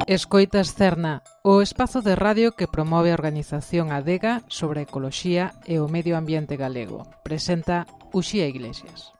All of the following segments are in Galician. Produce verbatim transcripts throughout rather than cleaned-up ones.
Escoitas Cerna, o espazo de radio que promove a organización Adega sobre a ecoloxía e o medio ambiente galego. Presenta Uxía Iglesias.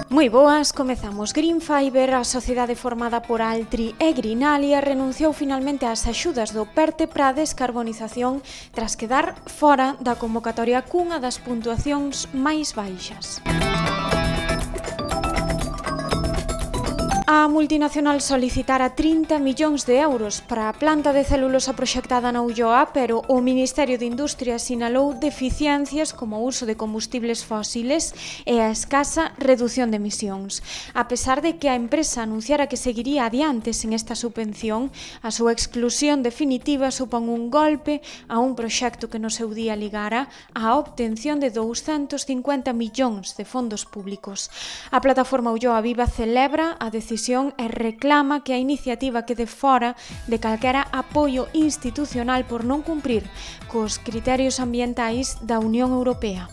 Moi boas, comezamos. Green Fiber, a sociedade formada por Altri e Greenalia, renunciou finalmente ás axudas do PERTE para a descarbonización tras quedar fora da convocatoria cunha das puntuacións máis baixas. A multinacional solicitara trinta millóns de euros para a planta de celulosa proxectada na Ulloa, pero o Ministerio de Industria sinalou deficiencias como o uso de combustibles fósiles e a escasa redución de emisións. A pesar de que a empresa anunciara que seguiría adiante sen esta subvención, a súa exclusión definitiva supón un golpe a un proxecto que no seu día ligara á obtención de douscentos cincuenta millóns de fondos públicos. A plataforma Ulloa Viva celebra a decisión e reclama que a iniciativa quede fora de calquera apoio institucional por non cumprir cos criterios ambientais da Unión Europea.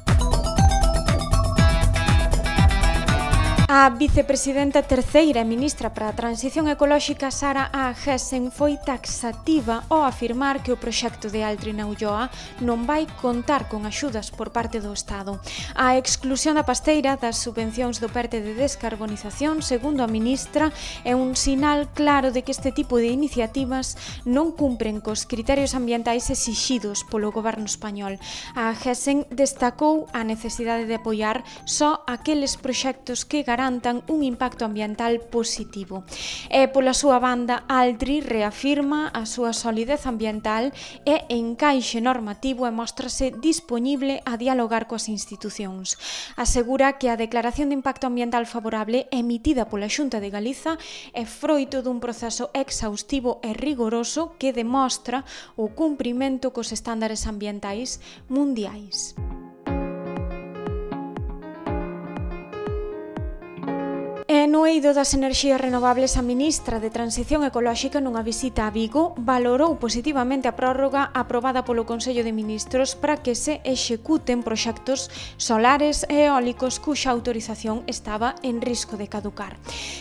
A vicepresidenta terceira e ministra para a Transición Ecolóxica, Sara A. Gessen, foi taxativa ao afirmar que o proxecto de Altri na Ulloa non vai contar con axudas por parte do Estado. A exclusión da pasteira das subvencións do PERTE de descarbonización, segundo a ministra, é un sinal claro de que este tipo de iniciativas non cumpren cos criterios ambientais exixidos polo goberno español. A Gessen destacou a necesidade de apoiar só aqueles proxectos que garantan un impacto ambiental positivo. E pola súa banda, Altri reafirma a súa solidez ambiental e encaixe normativo e móstrase dispoñible a dialogar coas institucións. Asegura que a declaración de impacto ambiental favorable emitida pola Xunta de Galiza é froito dun proceso exhaustivo e rigoroso que demostra o cumprimento cos estándares ambientais mundiais. E no eido das enerxías renovables, a ministra de Transición Ecolóxica, nunha visita a Vigo, valorou positivamente a prórroga aprobada polo Consello de Ministros para que se executen proxectos solares e eólicos cuxa autorización estaba en risco de caducar.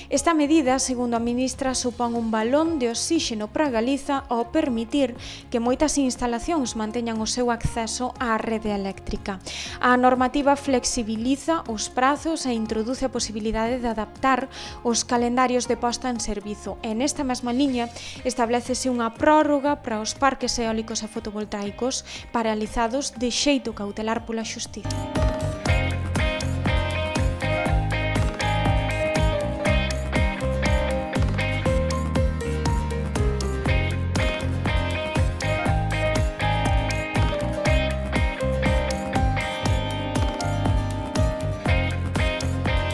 Esta medida, segundo a ministra, supón un balón de oxíxeno para Galiza ao permitir que moitas instalacións manteñan o seu acceso á rede eléctrica. A normativa flexibiliza os prazos e introduce a posibilidade de adaptar os calendarios de posta en servizo e nesta mesma liña establécese unha prórroga para os parques eólicos e fotovoltaicos paralizados de xeito cautelar pola Xustiza.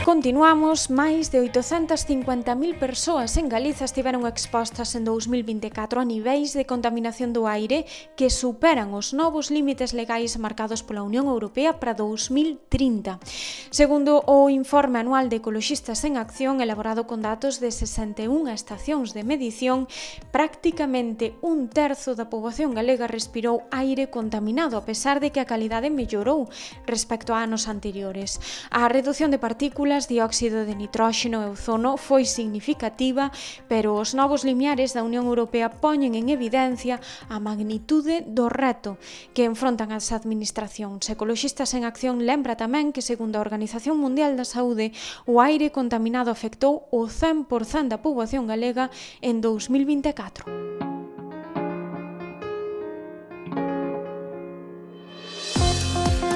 Continuamos, máis de oitocentas cincuenta mil persoas en Galiza estiveron expostas en dous mil vinte e catro a niveis de contaminación do aire que superan os novos límites legais marcados pola Unión Europea para dous mil trinta. Segundo o informe anual de Ecoloxistas en Acción, elaborado con datos de sesenta e unha estacións de medición, prácticamente un terzo da poboación galega respirou aire contaminado, a pesar de que a calidade mellorou respecto a anos anteriores. A reducción de partículas, dióxido de nitróxeno e ozono foi significativa, pero os novos limiares da Unión Europea poñen en evidencia a magnitude do reto que enfrontan as administracións. Ecoloxistas en Acción lembra tamén que, segundo a Organización Mundial da Saúde, o aire contaminado afectou o cen por cento da poboación galega en dous mil vinte e catro.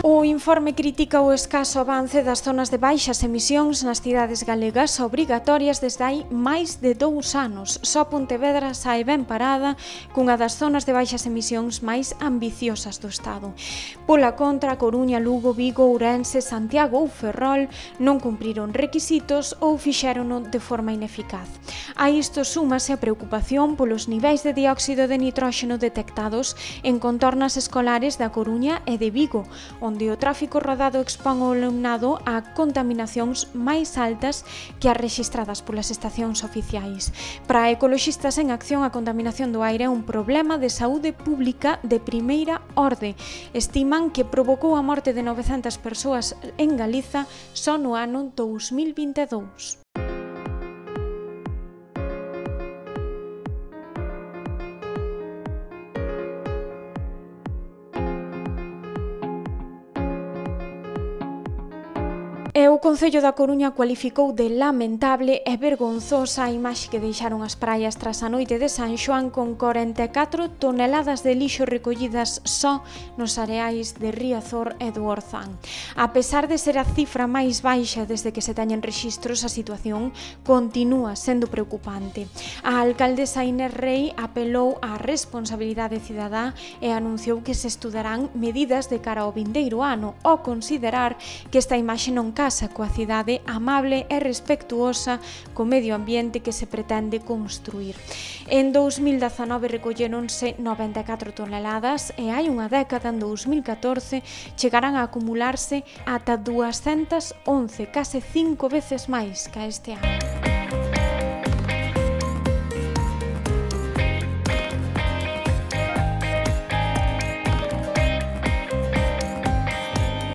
O informe critica o escaso avance das zonas de baixas emisións nas cidades galegas obrigatorias desde hai máis de dous anos. Só Pontevedra sae ben parada cunha das zonas de baixas emisións máis ambiciosas do Estado. Pola contra, Coruña, Lugo, Vigo, Ourense, Santiago ou Ferrol non cumpriron requisitos ou fixérono de forma ineficaz. A isto súmase a preocupación polos niveis de dióxido de nitróxeno detectados en contornas escolares da Coruña e de Vigo, onde o tráfico rodado expón o alumnado a contaminacións máis altas que as rexistradas polas estacións oficiais. Para ecoloxistas en acción, a contaminación do aire é un problema de saúde pública de primeira orde. Estiman que provocou a morte de novecentas persoas en Galiza só no ano dous mil vinte e dous. E o Concello da Coruña cualificou de lamentable e vergonzosa a imaxe que deixaron as praias tras a noite de San Xoán con corenta e catro toneladas de lixo recollidas só nos areais de Riazor e do Orzán. A pesar de ser a cifra máis baixa desde que se teñen rexistros, a situación continúa sendo preocupante. A alcaldesa Inés Rei apelou á responsabilidade cidadá e anunciou que se estudarán medidas de cara ao vindeiro ano ao considerar que esta imaxe non casa coa cidade amable e respectuosa co medio ambiente que se pretende construir. En dous mil dezanove recolléronse noventa e catro toneladas e hai unha década, en dous mil catorce, chegarán a acumularse ata duascentas once, case cinco veces máis que este ano.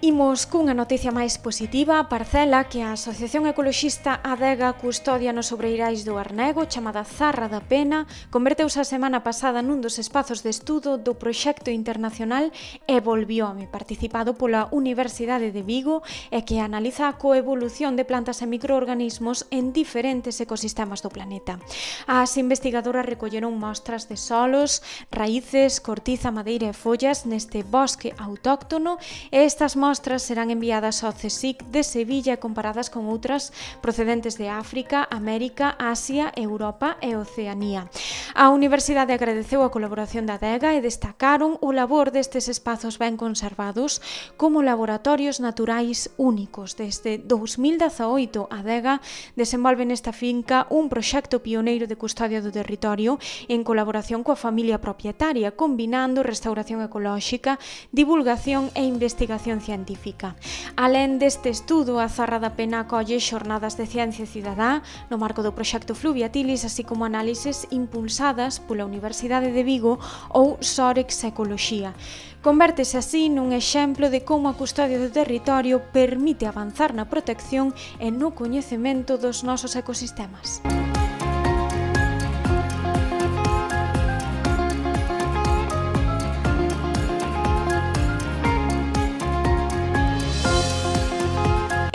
Imos cunha noticia máis positiva. A parcela que a Asociación Ecoloxista Adega custodia nos sobreirais do Arnego, chamada Zarra da Pena, converteuse a semana pasada nun dos espazos de estudo do proxecto internacional Evolviome, participado pola Universidade de Vigo e que analiza a coevolución de plantas e microorganismos en diferentes ecosistemas do planeta. As investigadoras recolleron mostras de solos, raíces, cortiza, madeira e follas neste bosque autóctono e estas mostras serán enviadas ao CSIC de Sevilla e comparadas con outras procedentes de África, América, Asia, Europa e Oceanía. A Universidade agradeceu a colaboración da Adega e destacaron o labor destes espazos ben conservados como laboratorios naturais únicos. Desde dous mil dezaoito, a Adega desenvolve nesta finca un proxecto pioneiro de custodia do territorio en colaboración coa familia propietaria, combinando restauración ecolóxica, divulgación e investigación científica. Alén deste estudo, a Zarra da Pena acolle xornadas de ciencia cidadá no marco do proxecto Fluviatilis, así como análises impulsadas pola Universidade de Vigo ou Sorex Ecoloxía. Convértese así nun exemplo de como a custodia do territorio permite avanzar na protección e no coñecemento dos nosos ecosistemas.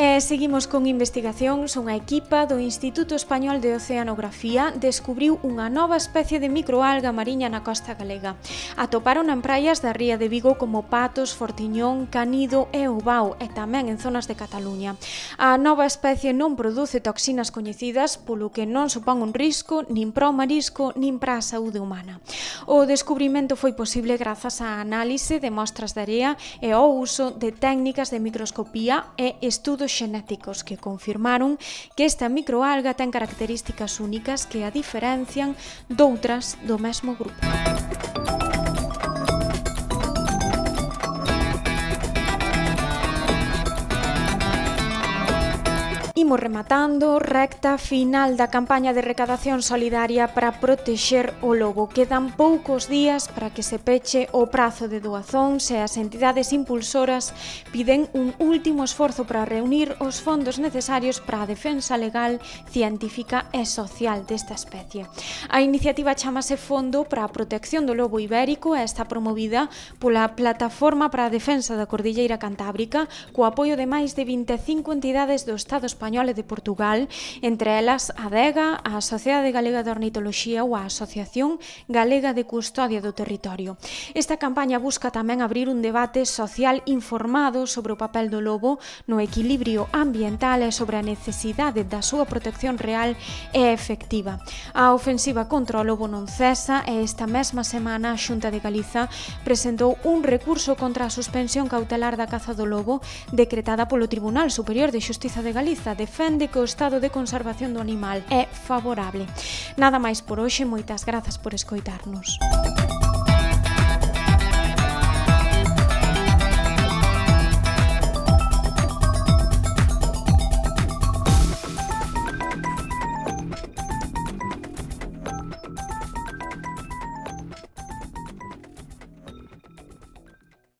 E seguimos con investigacións. Unha equipa do Instituto Español de Oceanografía descubriu unha nova especie de microalga mariña na costa galega. Atoparon en praias da ría de Vigo como Patos, Fortiñón, Canido e Obao e tamén en zonas de Cataluña. A nova especie non produce toxinas coñecidas, polo que non supón un risco nin para o marisco nin para a saúde humana. O descubrimento foi posible grazas á análise de mostras de area e ao uso de técnicas de microscopía e estudos xenéticos que confirmaron que esta microalga ten características únicas que a diferencian doutras do mesmo grupo. Imos rematando, recta final da campaña de recadación solidaria para protexer o lobo. Quedan poucos días para que se peche o prazo de doazóns e as entidades impulsoras piden un último esforzo para reunir os fondos necesarios para a defensa legal, científica e social desta especie. A iniciativa chamase Fondo para a Protección do Lobo Ibérico e está promovida pola Plataforma para a Defensa da Cordilleira Cantábrica co apoio de máis de vinte e cinco entidades do Estado español e de Portugal, entre elas a Adega, a Sociedade Galega de Ornitoloxía ou a Asociación Galega de Custodia do Territorio. Esta campaña busca tamén abrir un debate social informado sobre o papel do lobo no equilibrio ambiental e sobre a necesidade da súa protección real e efectiva. A ofensiva contra o lobo non cesa e esta mesma semana a Xunta de Galiza presentou un recurso contra a suspensión cautelar da caza do lobo decretada polo Tribunal Superior de Xustiza de Galiza. Defende que o estado de conservación do animal é favorable. Nada máis por hoxe, moitas grazas por escoitarnos.